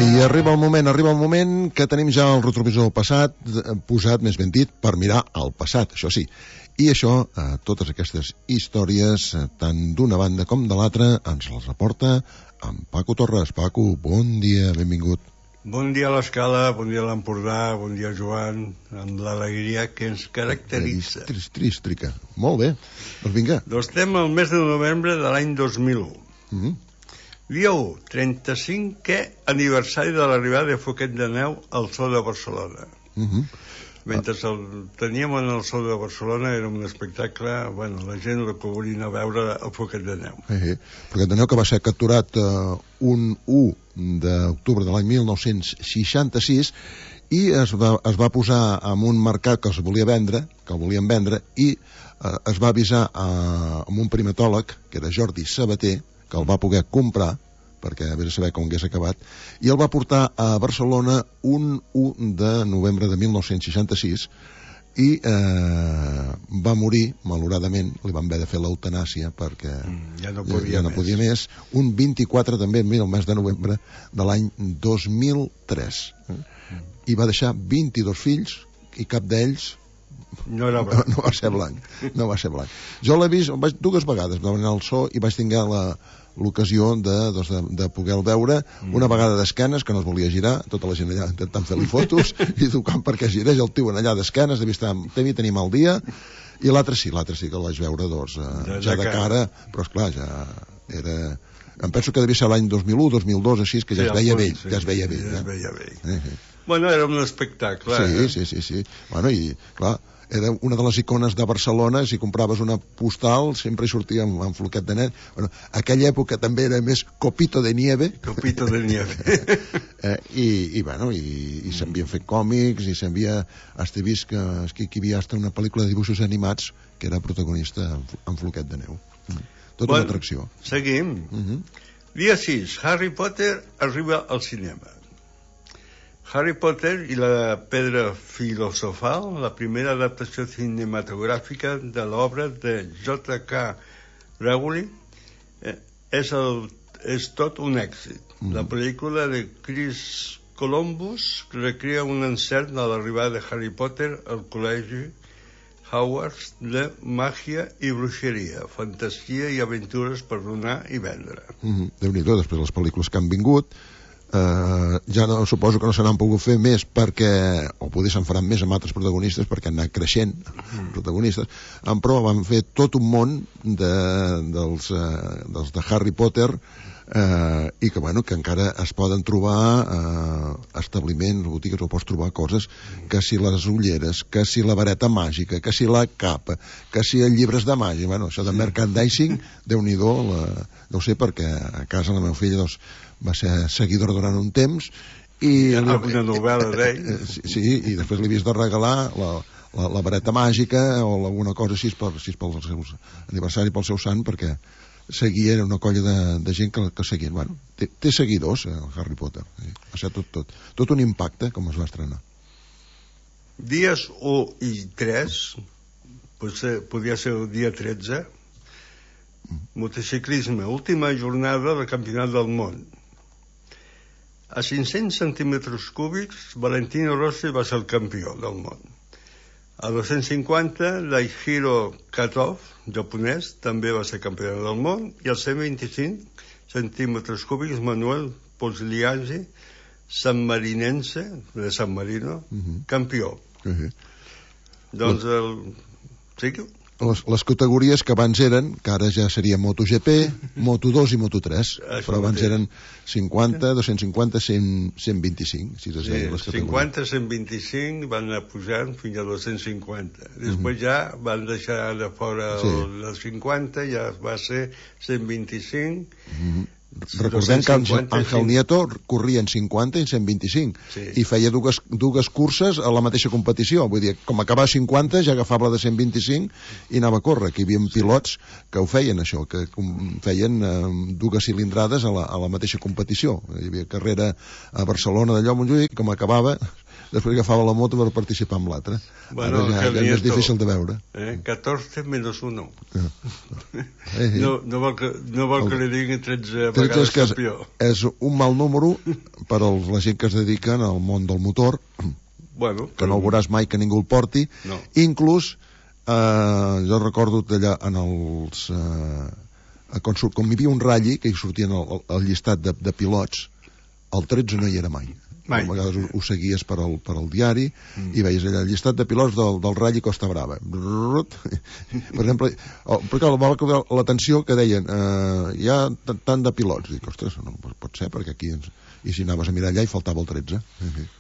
I arriba el moment que tenim ja el retrovisor passat, posat, més ben dit, per mirar al passat, això sí. I això, totes aquestes històries, tant d'una banda com de l'altra, ens les reporta en Paco Torres. Paco, bon dia, benvingut. Bon dia a l'Escala, bon dia a l'Empordà, bon dia Joan, amb l'alegria que ens caracteritza. Trístrica. Molt bé, doncs vinga. Doncs estem al mes de novembre de l'any 2001. Dia 1, 35è aniversari de l'arribada de Foquet de Neu al Zoo de Barcelona. Mentre el teníem en el Zoo de Barcelona era un espectacle, bueno, la gent el que volia anar a veure el Foquet de Neu. Foquet de Neu que va ser capturat un 1 d'octubre de l'any 1966 i es va posar en un mercat que es volia vendre, que el volien vendre, i es va avisar amb un primatòleg, que era Jordi Sabater, que el va poder comprar, perquè a veure saber com hagués acabat, i el va portar a Barcelona un 1 de novembre de 1966 i va morir, malauradament, li van haver de fer l'eutanàsia perquè ja no podia més, un 24 també, el mes de novembre de l'any 2003. I va deixar 22 fills i cap d'ells no va ser blanc. Jo l'he vist dues vegades, vam anar al zoo i vaig tenir l'ocasió de poder-lo veure, una vegada d'esquenes, que no es volia girar, tota la gent allà intentant fer-li fotos i tocant perquè girés el tio allà d'esquenes, devia tenir mal dia, i l'altre sí que el vaig veure ja de cara, però esclar, ja era... Em penso que devia ser l'any 2001, 2002, així, que ja es veia vell. Bueno, era un espectacle. Sí. Bueno, i clar, era una de les icones de Barcelona, si compraves una postal sempre hi sortia amb Foquet de Neu. Bueno, aquella època també era més Copito de Nieve. I s'havien fet còmics i s'havia hasta vist que aquí hi havia hasta una pel·lícula de dibuixos animats que era protagonista en Foquet de Neu. Tota una atracció. Seguim. Dia 6, Harry Potter arriba al cinema. Harry Potter i la pedra filosofal, la primera adaptació cinematogràfica de l'obra de J.K. Rowling, és tot un èxit. La pel·lícula de Chris Columbus recrea un encert de l'arribada de Harry Potter al col·legi Hogwarts de màgia i bruixeria, fantasia i aventures per donar i vendre. Déu-n'hi-do, després les pel·lícules que han vingut, ja no, suposo que no se n'han pogut fer més perquè, o potser se'n faran més amb altres protagonistes perquè han anat creixent protagonistes, però van fer tot un món dels de Harry Potter i que, bueno, que encara es poden trobar establiments, botigues, o pots trobar coses, que si les ulleres, que si la vareta màgica, que si la capa, que si els llibres de màgia, bueno, això de merchandising, Déu-n'hi-do, no ho sé, perquè a casa la meva filla va ser seguidora durant un temps i una novel·la d'ell i després li havies de regalar la vareta màgica o alguna cosa així pel seu aniversari, pel seu sant, perquè seguia una colla de gent que seguien. Bueno, té seguidors el Harry Potter, va ser tot un impacte com es va estrenar. Dies 1 i 3 podria ser el dia 13, motociclisme, última jornada del Campionat del Món. A 500 centímetres cúbics, Valentino Rossi va ser el campió del món. A 250, Daihiro Kato, japonès, també va ser campió del món. I als 125 centímetres cúbics, Manuel Pogliazzi, sanmarinense, de San Marino, campió. Doncs les categories que abans eren, que ara ja seria MotoGP, Moto2 i Moto3, però abans eren 50, 250, 100, 125, si es deien les categories. 50, 125 van anar pujant fins a 250. Després ja van deixar de fora el 50, ja va ser 125. Recordem que Ángel Nieto corria en 50 i en 125 i feia dues curses a la mateixa competició, vull dir, com acabava 50 ja agafava la de 125 i anava a córrer, que hi havia pilots que ho feien això, que feien dues cilindrades a la mateixa competició. Hi havia carrera a Barcelona d'allò, Montjuïc, com acabava després agafava la moto per participar en l'altre. Bueno, ara ja és difícil de veure. 14 menos 1. No vol que li diguin 13 vegades campió. És un mal número per a la gent que es dediquen al món del motor, que no el veuràs mai que ningú el porti. Inclús jo recordo allà en els com hi havia un ratll que hi sortien el llistat de pilots, el 13 no hi era mai. A vegades ho seguies per al diari i veies allà el llistat de pilots del Rally Costa Brava. Per exemple, perquè va cridar l'atenció que deien hi ha tant de pilots. Dic, ostres, no pot ser, perquè aquí i si anaves a mirar allà hi faltava el 13.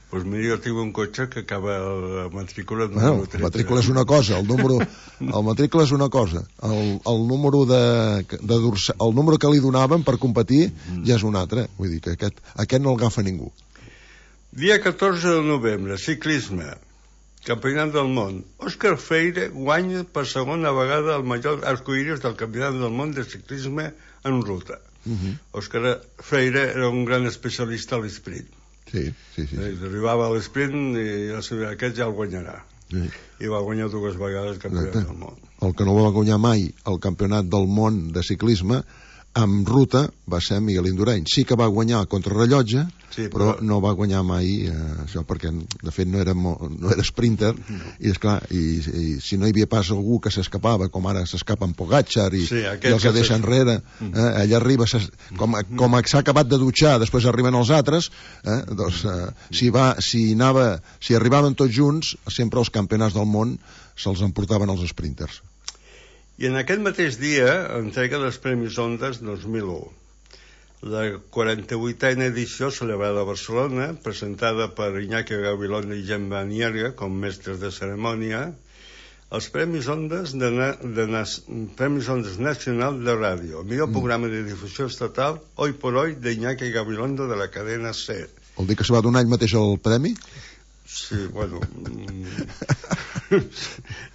Doncs mira, jo tinc un cotxe que acaba la matrícula número 13. La matrícula és una cosa, el matrícula és una cosa, el número el número que li donaven per competir ja és un altre. Vull dir que aquest no el agafa ningú. Dia 14 de novembre, ciclisme, Campionat del món. Òscar Freire guanya per segona vegada el major arcoíris del Campionat del món de ciclisme en ruta. Òscar Freire era un gran especialista a l'esprint. Sí. Arribava a l'esprint i aquest ja el guanyarà. I va guanyar 2 vegades el Campionat del món. El que no va guanyar mai el Campionat del món de ciclisme en ruta va ser Miguel Indurain. Sí que va guanyar a contrarrellotge, però no va guanyar mai això, perquè de fet no era sprinter, i esclar, i si no hi havia pas algú que s'escapava, com ara s'escapa en Pogačar i els deixa enrere, ell arriba, com s'ha acabat de dutxar, després arriben els altres, doncs si arribaven tots junts, sempre els campionats del món se'ls emportaven els sprinters. I en aquest mateix dia entrega dels Premis Ondas 2001. La 48a edició celebrada a Barcelona, presentada per Iñaki Gabilondo i Gemma Nierga com mestres de cerimònia, els Premis Ondas Premis Ondas Nacional de Ràdio, el millor programa de difusió estatal, Hoy por Hoy, de Iñaki Gabilondo de la cadena SER. Vol dir que se va donar ell mateix el premi? Sí, bueno...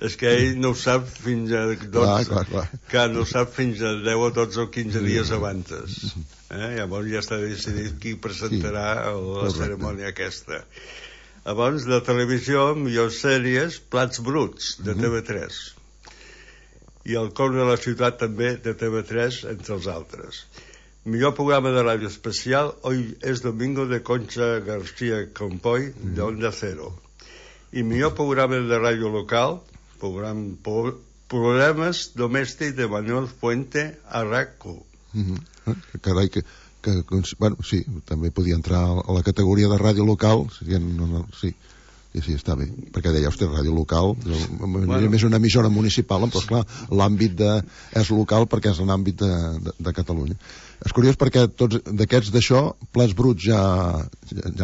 és que ell no ho sap fins a 12... Clar, no ho sap fins a 10 o 12 o 15 dies abans. Llavors ja està decidit qui presentarà la cerimònia aquesta. Abans, de televisió, millors sèries, Plats Bruts, de TV3. I El cor de la ciutat, també, de TV3, entre els altres. Millor programa de ràdio especial, Hoy es Domingo, de Concha García Campoy, de Onda Cero. I millor programa de ràdio local, Problemes domèstics, de Manuel Fuente, a RAC1. Carai, bueno, sí, també podia entrar a la categoria de ràdio local, sí, està bé, perquè deia, ostres, ràdio local, és una emissora municipal, però esclar, l'àmbit és local perquè és l'àmbit de Catalunya. És curiós perquè tots d'aquests d'això, Plats Bruts ja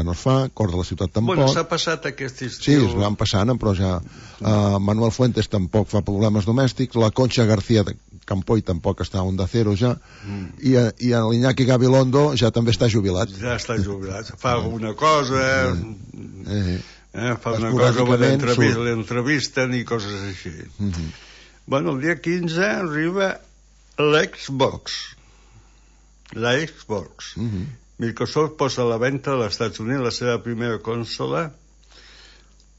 no es fa, Cor de la ciutat tampoc. Bueno, s'ha passat aquest estiu. Sí, es van passant, però ja Manuel Fuentes tampoc fa Problemes domèstics, la Concha García Campoy tampoc està a Onda Cero ja, i l'Iñaki Gabilondo ja també està jubilat. Ja està jubilat, fa alguna cosa, fa una cosa, l'entrevisten i coses així. Bueno, el dia 15 arriba l'Xbox. La Xbox. Microsoft posa a la venda als Estats Units la seva primera consola,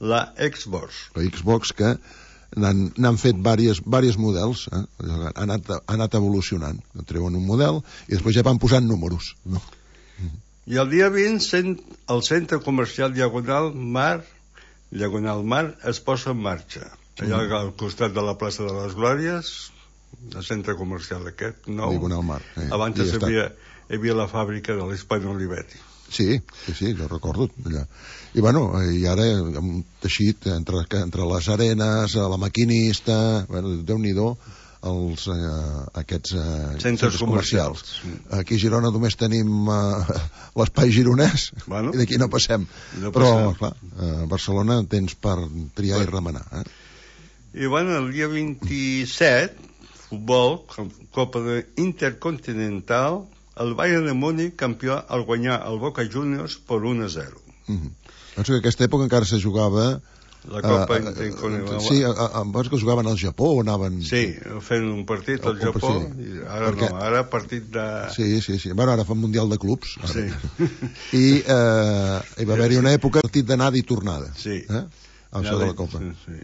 la Xbox. La Xbox, que n'han fet diversos models, ha anat evolucionant. Treuen un model i després ja van posant números. I el dia 20 el centre comercial Diagonal Mar es posa en marxa. Allà al costat de la plaça de les Glòries, el centre comercial aquest nou. Diagonal Mar. Abans hi havia la fàbrica de l'Hispano Olivetti. Sí, jo recordo allà. I bueno, i ara hem teixit entre les arenes, la maquinista, Déu-n'hi-do, aquests centres comercials. Aquí a Girona només tenim l'espai gironès, i d'aquí no passem. Però, clar, a Barcelona tens per triar i remenar. I bueno, el dia 27, futbol, Copa Intercontinental, el Bayern de Múnich, campió, al guanyar el Boca Juniors per 1-0. Penso que en aquesta època encara se jugava La Copa Intercontinental. Sí, em veus que jugaven al Japó o anaven... Sí, fent un partit al Japó, sí. i ara perquè... no, ara partit de... Sí. Bueno, ara fan Mundial de Clubs. Ara. Sí. I hi va haver-hi una època partit d'anada i tornada. Sí. Això de la Copa. Sí.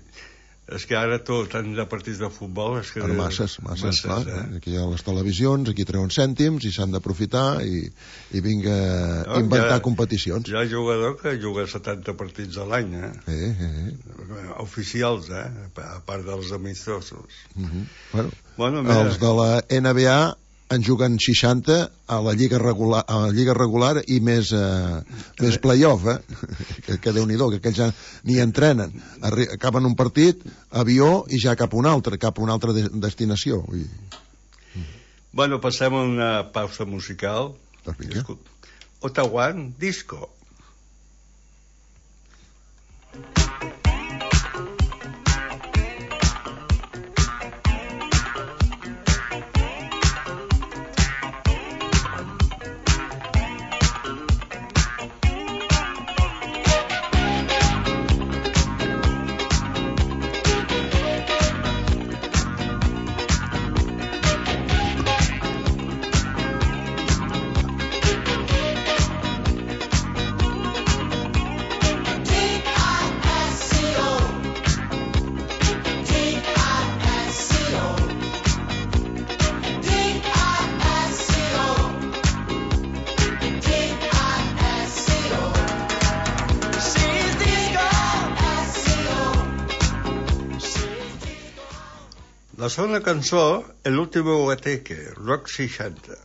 És que ara tant de partits de futbol... És que... Per masses, clar. Aquí hi ha les televisions, aquí treuen cèntims i s'han d'aprofitar i vinga inventar competicions. Hi ha jugador que juga 70 partits a l'any, oficials, a part dels amistosos. Bueno, els de la NBA en juguen 60 a la lliga regular i més playoff, que Déu-n'hi-do, que aquells ja ni entrenen, acaben un partit, avió i ja cap a una altra destinació. Bueno, passem a una pausa musical. Ottawa Disco. La segona cançó, El último guateque, Rock 60.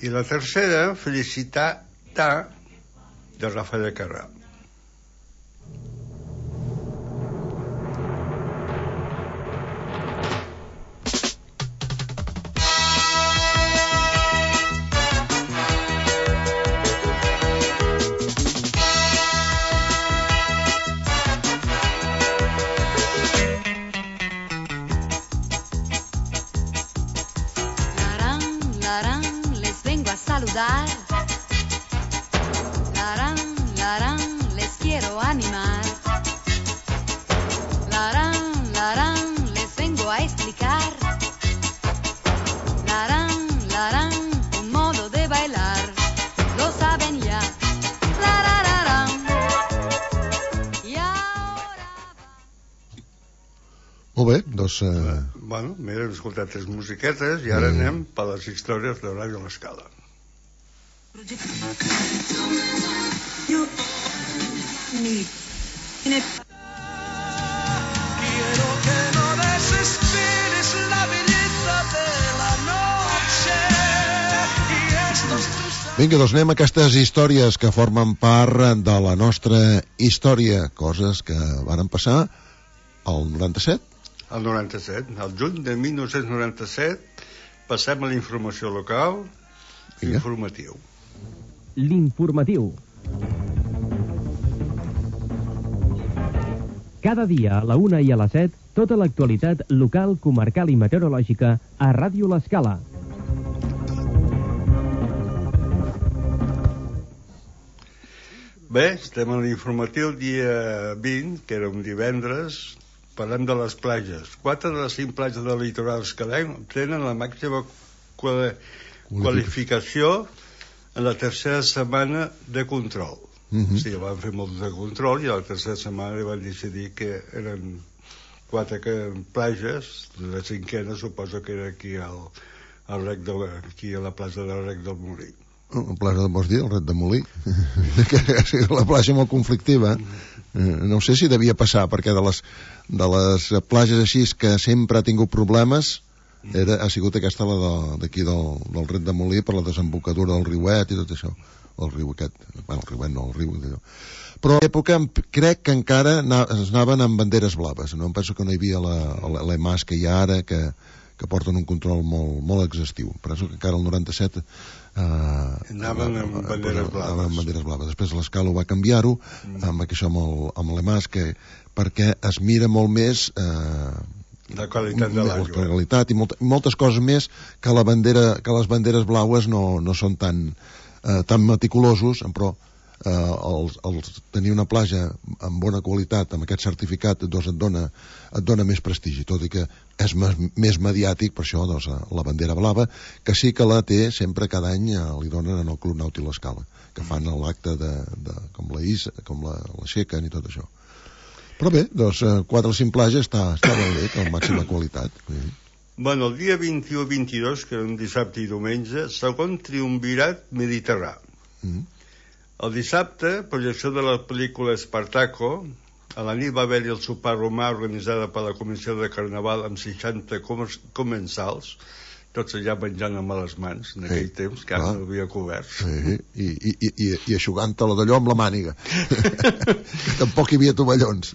I la tercera, Felicità, de Rafael Carrà. Les quiero animar. Les vengo a explicar. Un modo de bailar. Lo saben ya. Y ahora... Molt bé, doncs... Bueno, m'he escoltat 3 musiquetes i ara anem per les històries de Ràdio L'Escala. Quiero que no desesperes la belleza de la noche y estos tus... Vinga, doncs anem a aquestes històries que formen part de la nostra història, coses que varen passar al 97. Al 97, al juny de 1997, passem a la informació local. Informatiu. L'informatiu. Cada dia a la 1 i a la 7, tota l'actualitat local, comarcal i meteorològica a Ràdio L'Escala. Bé, estem a l'informatiu dia 20, que era un divendres. Parlem de les platges. 4 de les 5 platges del litoral escalenc tenen la màxima qualificació en la tercera setmana de control. O sigui, van fer molt de control i a la tercera setmana van decidir que eren 4 platges. La cinquena suposo que era aquí aquí a la plaça del Rec del Molí. La plaça, vols dir, el Ret de Molí? Que és la plaça molt conflictiva. No sé si devia passar, perquè de les plages així que sempre ha tingut problemes, ha sigut aquesta d'aquí del Ret de Molí, per la desembocadura del riuet i tot això. El riu aquest, bueno, el riuet no, el riu d'allò. Però a l'època crec que encara es anaven amb banderes blaves. No em penso que no hi havia l'EMAS que hi ha ara, que porten un control molt exhaustiu. Penso que encara el 97 anaven amb banderes blaves. Després l'escala va canviar-ho amb això, amb l'EMAS, perquè es mira molt més la qualitat de l'aigua, la qualitat i moltes coses més que les banderes blaues no són tan meticulosos, però tenir una platja amb bona qualitat, amb aquest certificat, doncs et dona més prestigi, tot i que és més mediàtic. Per això doncs, la bandera blava, que sí que la té sempre, cada any li donen en el Club Nàutic l'Escala, que fan l'acte com l'aixequen i tot això. Però bé, doncs 4 o 5 platges està molt bé, amb màxima qualitat. Bueno, el dia 21 i 22, que era un dissabte i diumenge, segon triumvirat mediterrà. El dissabte, projecció de la pel·lícula Espartaco. A la nit va haver-hi el sopar romà organitzada per la Comissió de Carnaval amb 60 comensals, tots allà menjant amb les mans, en aquell temps, que ara no havia coberts. I eixugant-te-la d'allò amb la màniga. Que tampoc hi havia tovallons.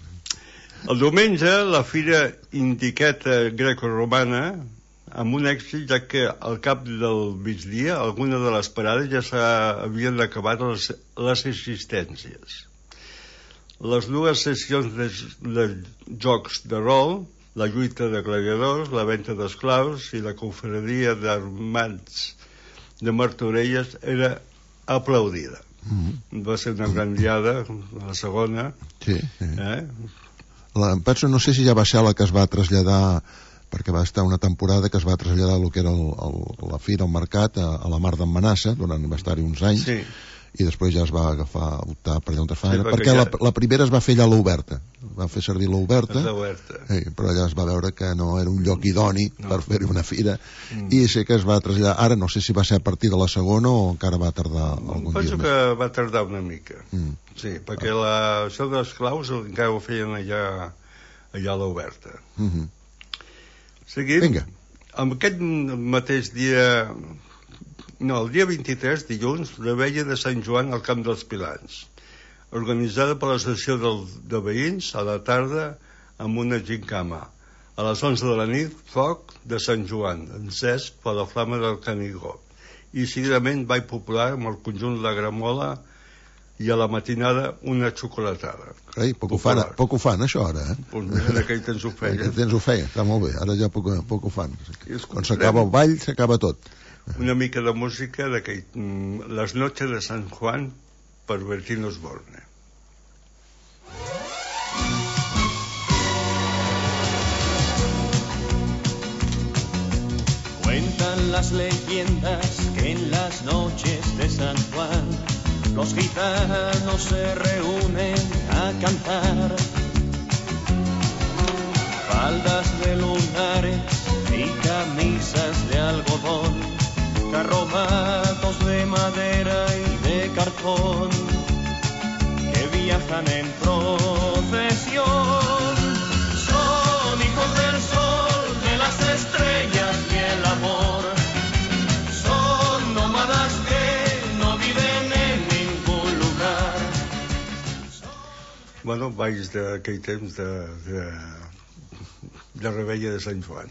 El diumenge, la fira indiqueta greco-romana, amb un èxit, ja que al cap del migdia algunes de les parades ja s'havien acabat les assistències. Les 2 sessions de jocs de rol, la lluita de gladiadors, la venda d'esclaus i la confraria d'armats de Martorelles era aplaudida. Va ser una gran diada, la segona. Sí. Penso, no sé si ja va ser la que es va traslladar, perquè va estar una temporada que es va traslladar el que era la fira, el mercat, a la Mar d'en Manassa, va estar-hi uns anys, i després ja es va optar per allà on es fa, perquè la primera es va fer allà a l'Oberta, va fer servir l'Oberta, però allà es va veure que no era un lloc idoni per fer una fira, i sé que es va traslladar. Ara no sé si va ser a partir de la segona o encara va tardar algun dia més. Penso que va tardar una mica, sí, perquè això dels claus encara ho feien allà a l'Oberta. Seguim. Vinga. Amb aquest mateix dia... No, el dia 23, dilluns, la Veia de Sant Joan al Camp dels Pilans, organitzada per l'Associació de Veïns a la tarda amb una gincama. A les 11 de la nit, foc de Sant Joan, encès per la flama del Canigó. I seguidament ball popular amb el conjunt La Gramola i a la matinada una xocolatada. Poc ho fan, això, ara, En aquell temps ho feien. En aquell temps ho feien, està molt bé. Ara ja poc ho fan. Quan s'acaba el ball, s'acaba tot. Una mica de música Les noches de San Juan per Bertín Osborne. Cuentan las leyendas que en las noches de San Juan los gitanos se reúnen a cantar. Faldas de lunares y camisas de algodón, carromatos de madera y de cartón, que viajan en procesión. Son hijos del sol, de las estrellas y el amor. Son nómadas que no viven en ningún lugar. Bueno, balls d'aquell temps de Reveia de Sant Joan.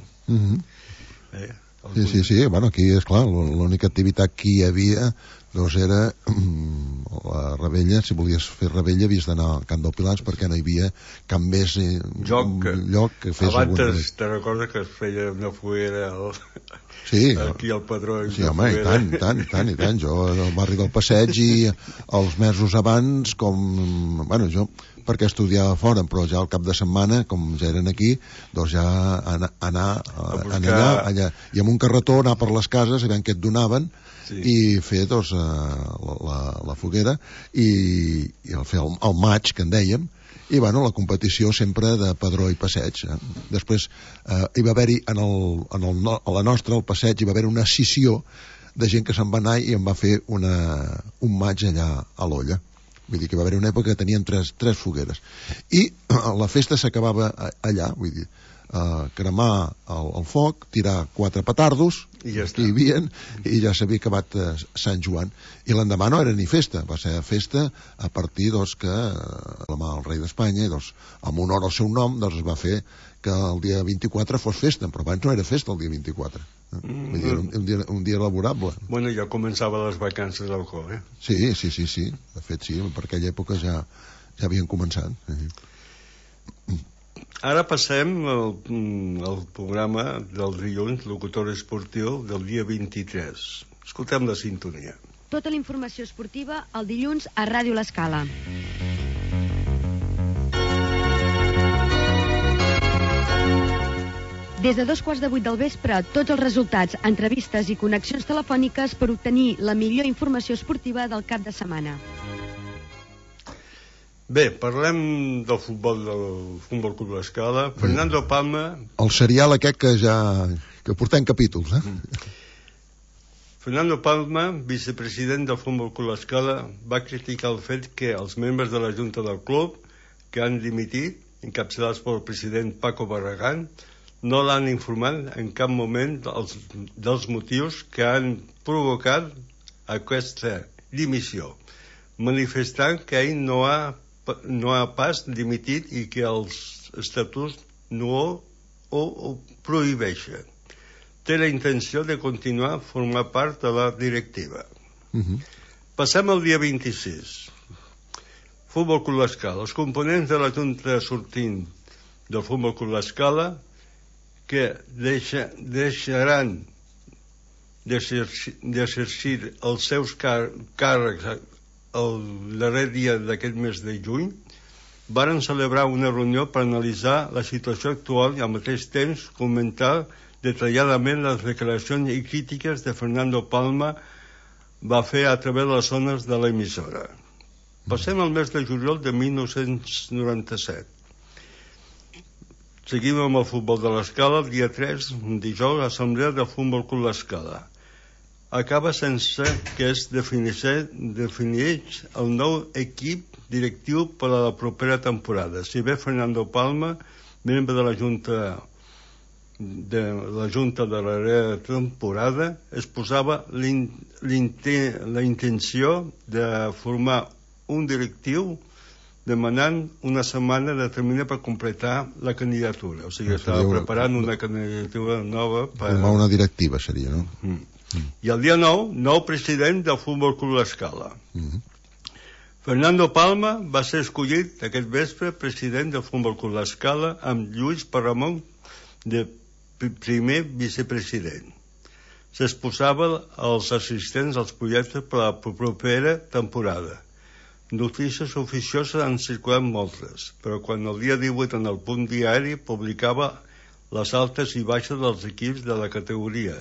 Sí, bueno, aquí és clar, l'única activitat que hi havia doncs era la Reveia. Si volies fer Reveia havies d'anar al Camp dels Pilans, perquè no hi havia cap més lloc que fes alguna cosa. Abans te recordes que es feia una foguera aquí al Padró? Sí, home, i tant. Jo al barri del Passeig, i els mesos abans, bueno, jo perquè estudiava fora, però ja al cap de setmana, com ja eren aquí, doncs ja anar allà, i amb un carretó anar per les cases i veient què et donaven, i fer doncs la foguera i fer el maig, que en dèiem, i bueno, la competició sempre de Padró i Passeig. Després hi va haver-hi a la nostra, al Passeig, hi va haver una escissió de gent que se'n va anar i en va fer un maig allà a l'Olla. Vull dir que va haver una època que tenien tres fogueres. I la festa s'acabava allà, vull dir, cremar el foc, tirar 4 petardos I ja que hi havia, i ja s'havia acabat Sant Joan. I l'endemà no era ni festa, va ser festa a partir que el rei d'Espanya, en honor al seu nom, es va fer que el dia 24 fos festa, però abans no era festa el dia 24. Vull dir, un dia laborable. Bueno, ja començava les vacances del col, Sí. De fet, sí, per aquella època ja havien començat. Ara passem al programa del dilluns, locutor esportiu, del dia 23. Escoltem la sintonia. Tota la informació esportiva el dilluns a Ràdio L'Escala. Des de 7:15 del vespre, tots els resultats, entrevistes i connexions telefòniques per obtenir la millor informació esportiva del cap de setmana. Bé, parlem del Futbol Club L'Escala. Fernando Palma... El serial aquest que portem capítols, Fernando Palma, vicepresident del Futbol Club L'Escala, va criticar el fet que els membres de la Junta del club, que han dimitit, encapçalats pel president Paco Barragán, no l'han informat en cap moment dels motius que han provocat aquesta dimissió, manifestant que ell no ha pas dimitit i que els estatuts no ho prohibeixen. Té la intenció de continuar a formar part de la directiva. Passem al dia 26. Futbol Club L'Escala. Els components de la Junta sortint del Futbol Club L'Escala que deixaran d'exercir els seus càrrecs el darrer dia d'aquest mes de juny, varen celebrar una reunió per analitzar la situació actual i al mateix temps comentar detalladament les declaracions i crítiques de Fernando Palma va fer a través de les zones de l'emissora. Passem al mes de juliol de 1997. Seguim amb el Futbol de l'Escala. El dia 3, dijous, l'Assemblea del Futbol Club L'Escala. Acaba sense que es defineix el nou equip directiu per a la propera temporada. Si bé Fernando Palma, membre de la Junta de la darrera temporada, exposava la intenció de formar un directiu demanant una setmana determinada per completar la candidatura. O sigui, estava preparant una candidatura nova per... Formar una directiva seria, no? I el dia 9, nou president del Futbol Club L'Escala. Fernando Palma va ser escollit aquest vespre president del Futbol Club L'Escala amb Lluís Parramon de primer vicepresident. S'exposava als assistents als projectes per a la propera temporada. Notícies oficioses han circulat moltes, però quan el dia 18 en el Punt Diari publicava les altes i baixes dels equips de la categoria.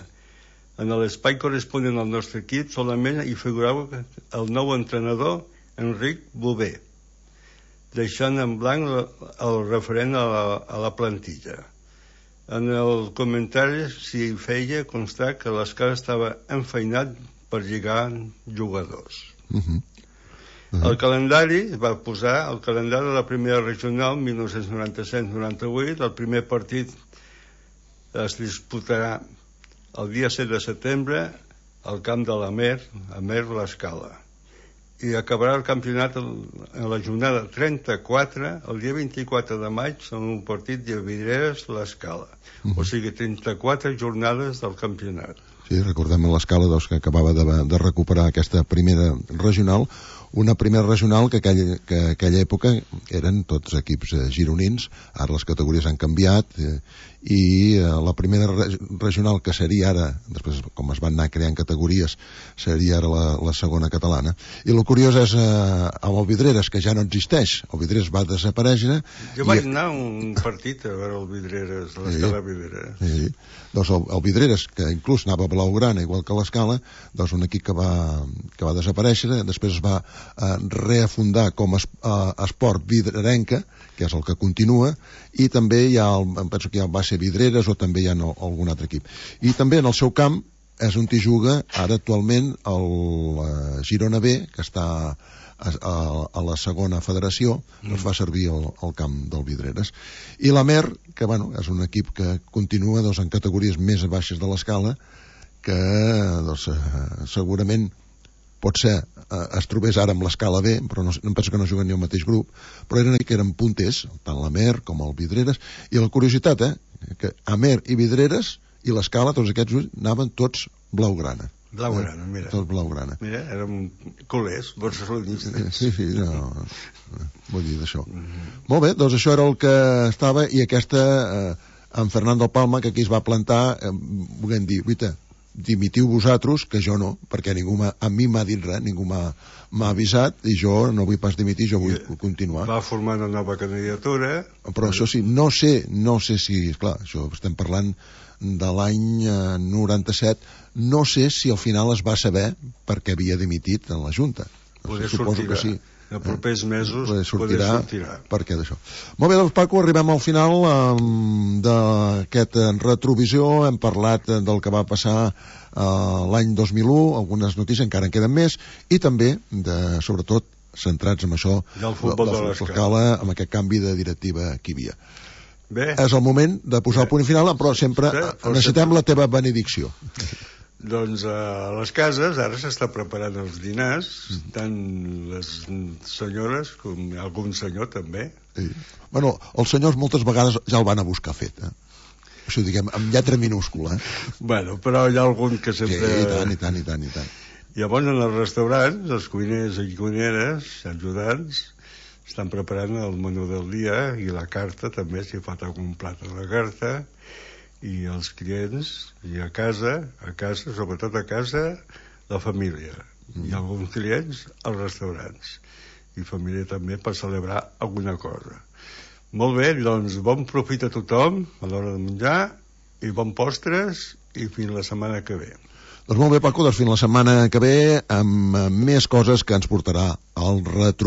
En l'espai corresponent al nostre equip solament hi figurava el nou entrenador Enric Bové, deixant en blanc el referent a la plantilla. En el comentari s'hi feia constar que l'Escala estava enfeinat per lligar jugadors. El calendari va posar el calendari de la primera regional 1997-98. El primer partit es disputarà el dia 7 de setembre al camp de l'Amer, Amer L'Escala, i acabarà el campionat en la jornada 34 el dia 24 de maig en un partit de Vidreres L'Escala. O sigui, 34 jornades del campionat. Sí, recordem l'Escala que acabava de recuperar aquesta primera regional, una primera regional que aquella època eren tots equips gironins. Ara les categories han canviat i la primera regional, que seria ara, després com es van anar creant categories, seria ara la segona catalana. I el curiós és amb el Vidreres, que ja no existeix. El Vidreres va desaparèixer. Jo vaig anar a un partit a veure el Vidreres, l'Escala Vidreres. Sí. Doncs el Vidreres, que inclús anava a blaugrana igual que l'Escala, doncs un equip que va desaparèixer, després es va reafundar com a Esport Vidrerenca, que és el que continua, i també hi ha, penso que ja va ser Vidreres, o també hi ha algun altre equip. I també en el seu camp és on hi juga ara actualment el Girona B, que està a la segona federació, doncs fa servir el camp del Vidreres. I la Mer, que bueno, és un equip que continua doncs, en categories més baixes de l'escala, que doncs, segurament pot ser es trobés ara amb l'escala B, però no penso que no juguen ni al mateix grup, però eren punters, tant la Mer com el Vidreres, i la curiositat, que Amer i Vidreres i l'escala, tots aquests anaven tots blaugrana. Blaugrana, mira. Tot blaugrana. Mira, érem culers, barcelonistes. Sí, no, vull dir d'això. Molt bé, doncs això era el que estava, i aquesta, en Fernando Palma, que aquí es va plantar, volem dir, guaita, dimitiu vosaltres, que jo no, perquè ningú a mi m'ha dit res, ningú m'ha avisat, i jo no vull pas dimitir, jo vull continuar. Va formar una nova candidatura. Però això sí, no sé si, esclar, això estem parlant de l'any 97, no sé si al final es va saber perquè havia dimitit en la Junta. Suposo que sí. En propers mesos sortirà perquè d'això. Molt bé, doncs Paco, arribem al final d'aquest retrovisió. Hem parlat del que va passar l'any 2001, algunes notícies, encara en queden més, i també, sobretot, centrats en això del futbol de l'escala, amb aquest canvi de directiva que hi havia. Bé. És el moment de posar el punt final, però sempre necessitem la teva benedicció. Doncs a les cases ara s'està preparant els dinars, tant les senyores com algun senyor també. Sí. Bueno, els senyors moltes vegades ja el van a buscar fet, Això diguem, amb lletra minúscula. Bueno, però hi ha algun que sempre... Sí, i tant. Llavors en els restaurants, els cuiners i cuineres, ajudants, estan preparant el menú del dia i la carta també, si fa algun plat a la carta, i els clients, i a casa, sobretot a casa, la família. I alguns clients als restaurants. I família també per celebrar alguna cosa. Molt bé, doncs bon profit a tothom a l'hora de menjar, i bon postres, i fins la setmana que ve. Doncs molt bé, Paco, doncs fins la setmana que ve amb més coses que ens portarà al retrovisor.